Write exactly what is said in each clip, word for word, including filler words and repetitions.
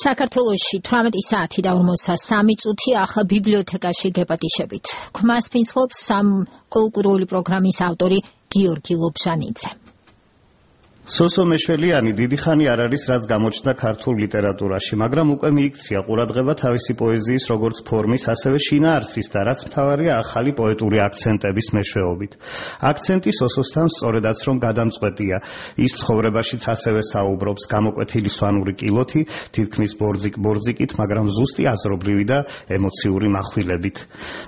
საქართველოში თვრამეტი საათი და ორმოცდასამი წუთი ახლა ბიბლიოთეკაში გეპატიშებით. Ქმას ფინცხობს სამ კულტურული პროგრამის ავტორი გიორგი ლობჟანიძე. სოსო მეშველიანი დიდი ხანი არ არის რაც გამოჩნდა ქართულ ლიტერატურაში, მაგრამ უკვე მიიქცია ყურადღება თავისი პოეზიის როგორც ფორმის, ასევე შინაარსის და რაც მთავარია ახალი პოეტური აქცენტების მეშვეობით. აქცენტი სოსოსთან სწორედაც რომ გადამწყვეტია. ის ცხოვრებაშიც ასევე საუბრობს გამოკვეთილი სვანური კილოთი, თითქმის ბორძიკ-ბორძიკით, მაგრამ ზუსტი აზრობრივი და ემოციური מחვილებით.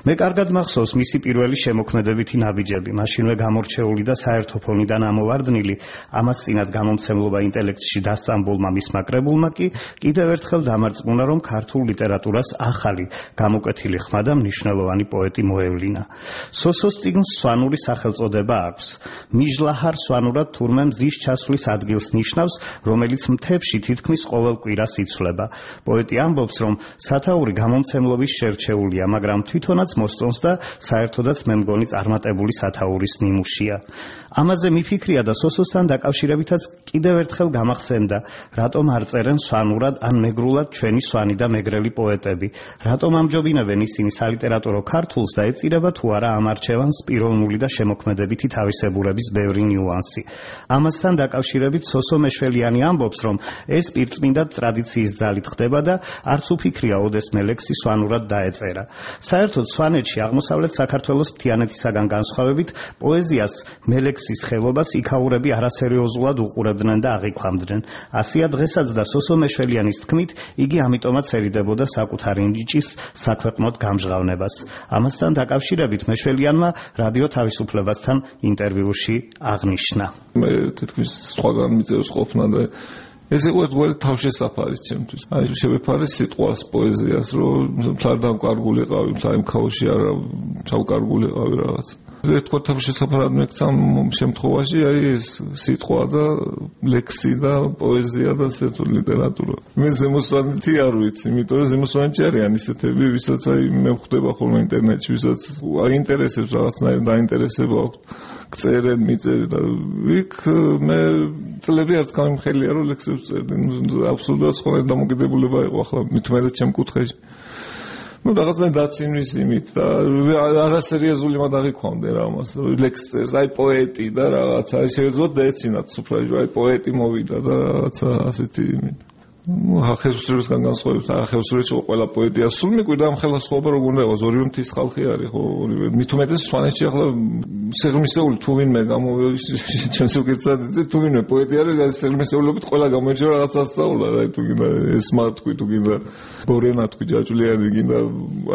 მე კარგად მახსოვს მისი პირველი შემოქმედებითი ნაბიჯები, მაშინვე გამორჩეული და საერთო ფონიდან ამოვარდნილი, ამას წინათ გამომცემლობა ინტელექტში დასტამბულმა მისმა კრებულმა კი კიდევ ერთხელ დამარწმუნა, რომ ქართულ ლიტერატურას ახალი, გამოკვეთილი ხმა და მნიშვნელოვანი პოეტი მოევლინა. სოსოს წიგნს სვანური სახელწოდება აქვს. მიჟლაჰარ სვანურად თურმე მზის ჩასვლის ადგილს ნიშნავს, რომელიც მთებში თითქმის ყოველ კვირას იცვლება. პოეტი ამბობს, რომ სათაური გამომცემლობის შერჩეულია, მაგრამ თვითონაც მოსწონს და საერთოდაც მე მგონი წარმატებული სათაურის ნიმუშია. ამაზე მიფიქრია და სოსოსთან დაკავშირებითაც კიდევ ერთხელ გამახსენდა, რატომ არ წერენ სვანურად ან მეგრულად ჩვენი სვანი და მეგრელი პოეტები, რატომ ამჯობინებენ ისინი სალიტერატურო ქართულს და ეწირება თუ არა ამ არჩევანს პიროვნული და შემოქმედებითი თავისებურების ბევრი ნიუანსი. ამასთან დაკავშირებით სოსო მეშველიანი ამბობს, რომ ეს პირწმინდა ტრადიციის ძალით ხდება და არც უფიქრია ოდესმე ლექსი სვანურად დაეწერა. საერთოდ სვანეთში აღმოსავლეთ საქართველოს მთიანეთისაგან განსხვავებით პოეზიას მელექსის ხელობას იქაურები არასერიოზულად უყურებდნენ და აღიქვამდნენ. ასია დღესაც და სოსო მეშველიანის თქმით, იგი ამიტომაც ერიდებოდა საკუთარი ნიჭის საქვეყნოდ გამჟღავნებას. ამასთან დაკავშირებით მეშველიანმა რადიო თავისუფლებასთან ინტერვიუში აღნიშნა. მე თითქმის სხვაგან მიწევს ყოფნა და ეს იყო ერთგვარი თავშესაფარი ჩემთვის. აი შევეფარე სიტყვას პოეზიას, რომ მთლად კარგულიყავი, მთლად ქაოსში არა ჩავკარგულიყავი რაღაც. ერთგვარ თავშესაფარად მეკცა შემთხვევაში აი ეს სიტყვა და ლექსი და პოეზია და საერთოდ ლიტერატურა. მე ზემოსვანეთი არ ვიცი, იმიტომ რომ ზემოსვანეთში არიან ისეთები, ვისაც აი მე ვხვდება ხოლმე ინტერნეტში, ვისაც აინტერესებს რაღაცნაირ დაინტერესება აქვს. წერენ, მიწერენ და იქ მე წლები არც გამიმხელია რომ ლექსებს წერდნენ. აბსოლუტურად სხვა დამოკიდებულება იყო ახლა მithumetet ჩემ კუთხეში. ну რაღაცა დაცინვის იმით და არასერიოზული მოდაღიქვამდე რა მას ლექს წერს აი პოეტი და რაღაცა შეიძლება დაეცინათ სუფრაჟი აი პოეტი მოვიდა და რაღაცა ასეთი იმით ну ახალსურეთისგან განსხვავებით ახალსურეთში ყველა პოეტია სულ მიკვირდა ამ ხელისუფლება როგორ უნდა იყოს ორივე მთის ხალხი არის ხო ორივე მithumetet სვანეთში ახლა სიღრმისეული თუ ვინმე გამოვიდა ჩემს უკეთესად თუ ვინმე პოეტი არის სიღრმისეულობით ყველა გამოირჩევა რაღაც ასწავლა და თუ გინდა ესმა თქვი თუ გინდა ბორენა თქვი ჯაჭვლიანი გინდა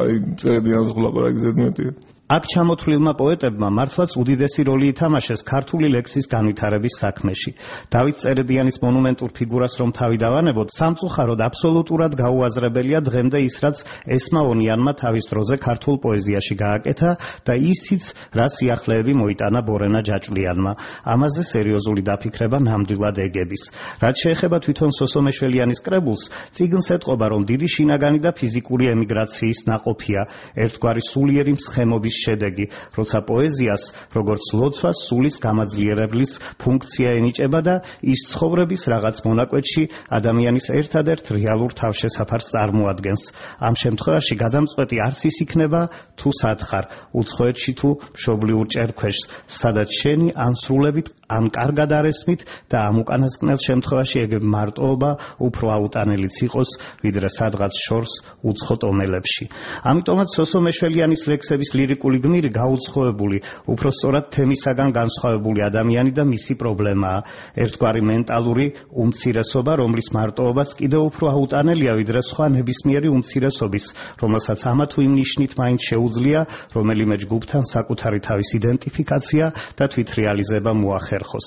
აი წერდიან ზღლაპარაკი ზედმეტია. აქ ჩამოთვლილმა პოეტებმა მართლაც უდიდესი როლი ითამაშეს ქართული ლექსის განვითარების საქმეში. დავით წერედიანის მონუმენტურ ფიგურას რომ თავი დავანებოთ, სამწუხაროდ აბსოლუტურად გაუაზრებელია დღემდე ის, რაც ესმა ონიანმა თავის დროზე ქართულ პოეზიაში გააკეთა და ისიც, რა სიახლეები მოიტანა ბორენა ჯაჭვლიანმა. ამაზე სერიოზული დაფიქრება ნამდვილად ეგების. რაც შეეხება თვითონ სოსო მეშველიანის კრებულს, წიგნს ეტყობა, რომ დიდი შინაგანი და ფიზიკური ემიგრაციის ნაყოფია, ერთგვარი სულიერი მსხემობის შედეგი, როცა პოეზიას, როგორც ლოცვას, სულის გამაძლიერებლის ფუნქცია ენიჭება და ის ცხოვრების რაღაც მონაკვეთში ადამიანის ერთადერთ რეალურ თავშესაფარს წარმოადგენს. ამ შემთხვევაში გადამწყვეტი არც ის იქნება, თუ სათხარ, უცხოეთში თუ მშობლიურ ჭერქვეშს, სადაც შენი ან სრულებით ან კარგად არესმით და ამ უკანასკნელ შემთხვევაში ეგ მარტოობა უფრო აუტანელიც იყოს, ვიდრე სადღაც შორს უცხო ტომელებში. ამიტომაც სოსო მეშველიანის ლექსების ლირიკული გმირი გაუცხოებული, უფრო სწორად თემისაგან განსხვავებული ადამიანი და მისი პრობლემაა. ერთგვარი მენტალური უმცირესობა, რომლის მარტოობაც კიდევ უფრო აუტანელია, ვიდრე სხვა ნებისმიერი უმცირესობის, რომელსაც ამა თუ იმ ნიშნით მაინც შეუძლია რომელიმე ჯგუფთან საკუთარი თავის იდენტიფიკაცია და თვითრეალიზება მოახერხოს.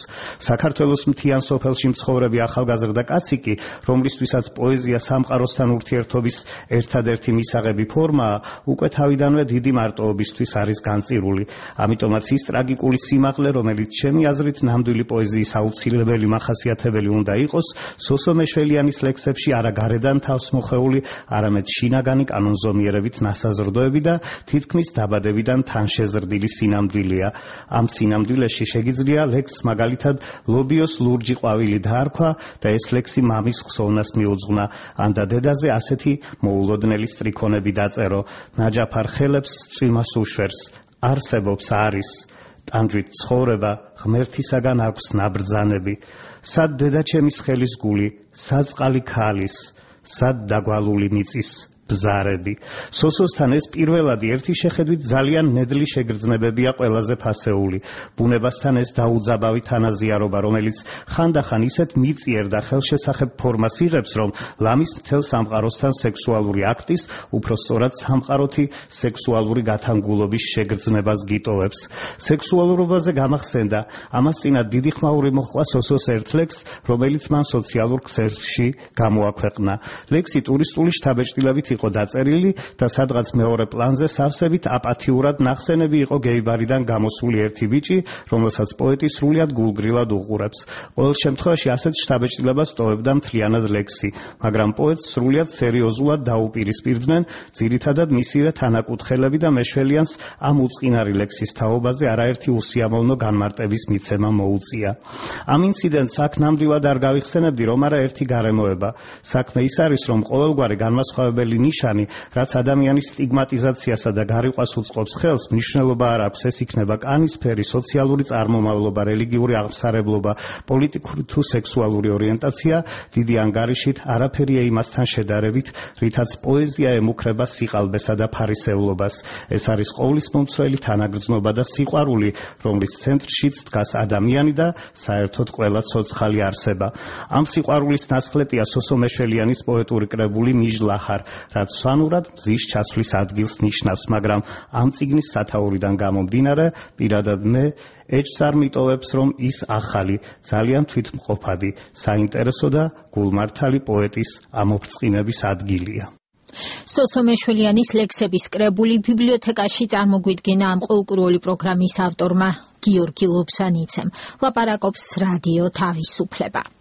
საქართველოს მთიან სოფელში მცხოვრები ახალგაზრდა კაცი კი, რომლისთვისაც პოეზია სამყაროსთან ურთიერთობის ერთადერთი მისაღები ფორმაა, უკვე თავიდანვე დიდი მარტოობისთვის სიყვარულის არის განწირული. ამიტომაც ის ტრაგიკული სიმაღლე, რომელიც ჩემი აზრით ნამდვილი პოეზიის აუცილებელი მახასიათებელი უნდა იყოს, სოსო მეშველიანის ლექსებში არა გარედან თავს მოხეული, არამედ შინაგანი კანონზომიერებით ნასაზრდოები და თითქმის დაბადებიდან თანშეზრდილი სინამდვილეა. ამ სინამდვილეში შეგიძლია ლექსს მაგალითად ლობიოს ლურჯი ყვავილი დაარქვა და ეს ლექსი მამის ხსოვნას მიუძღვნა, ან და დედაზე ასეთი მოულოდნელი სტრიქონები დაწერო. ნაჯაფარ ხელებს წვიმას უშვერს, არსებობს არის ტანჯვით ცხოვრება, ღმერთისაგან აქვს ნაბრძანები. სად დედაჩემის ხელის გული, სად წყალი ქალის, სად დაგვალული მიწის ბზარები. სოსოსთან ეს პირველადი ერთი შეხედვით ძალიან ნედლი შეგრძნებებია ყველაზე ფასეული. ბუნებასთან ეს დაუძაბავი თანაზიარობა, რომელიც ხანდახან ისეთ მიწიერ და ხელშესახებ ფორმას იღებს, რომ ლამის მთელ სამყაროსთან სექსუალური აქტის, უფრო სწორად სამყაროთი სექსუალური გათანგულობის შეგრძნებას გიტოვებს. სექსუალურობაზე გამახსენდა, ამას წინათ დიდი ხმაური მოჰყვა სოსოს ერთ ლექსს, რომელიც მან სოციალურ ქსელში გამოაქვეყნა. ლექსი ტურისტული შთაბეჭდილებით იყო დაწერილი და სადღაც მეორე პლანზე სავსებით აპათიურად ნახსენები იყო გეიბარიდან გამოსული ერთი ბიჭი, რომელსაც პოეტი სრულიად გულგრილად უყურებს. ყოველ შემთხვევაში ასეთ შთაბეჭდილებას ტოვებდა მთლიანად ლექსი, მაგრამ პოეტს სრულიად სერიოზულად დაუპირისპირდნენ, ძირითადად მისივე თანაკუთხელები და მეშველიანს ამ უწყინარი ლექსის თაობაზე არაერთი უსიამოვნო განმარტების მიცემა მოუწია. ამ ინციდენტს აქ ნამდვილად არ გავიხსენებდი, რომ არა ერთი გარემოება. საქმე ის არის, რომ ყოველგვარი განმასხვავებელი ნიშანი, რაც ადამიანის სტიგმატიზაციასა და გარიყვას უწყობს ხელს, მნიშვნელობა არ აქვს, ეს იქნება კანისფერი, სოციალური წარმომავლობა, რელიგიური აღმსარებლობა, პოლიტიკური თუ სექსუალური ორიენტაცია, დიდი ანგარიშით არაფერია იმასთან შედარებით, რითაც პოეზია ემუქრება სიყალბესა და ფარისევლობას. ეს არის ყოვლისმომცველი თანაგრძნობა და სიყვარული, რომლის ცენტრშიც დგას ადამიანი და საერთოდ ყველა ცოცხალი არსება. ამ სიყვარულის ნასხლეტია სოსო მეშველიანის პოეტური კრებული მიჟლაჰარ, რაც სვანურად მზის ჩასვლის ადგილს ნიშნავს, მაგრამ ამ წიგნის სათაურიდან გამომდინარე, პირადად მე ეჭს არ მიტოვებს, რომ ის ახალი, ძალიან თვითმყოფადი, საინტერესო და გულმართალი პოეტის ამოფრწყინების ადგილია. სოსო მეშველიანის ლექსების კრებული ბიბლიოთეკაში წარმოგვიდგინა ამ ყოველკვირეული პროგრამის ავტორმა გიორგი ლობსანიცემ. ლაპარაკობს რადიო თავისუფლება.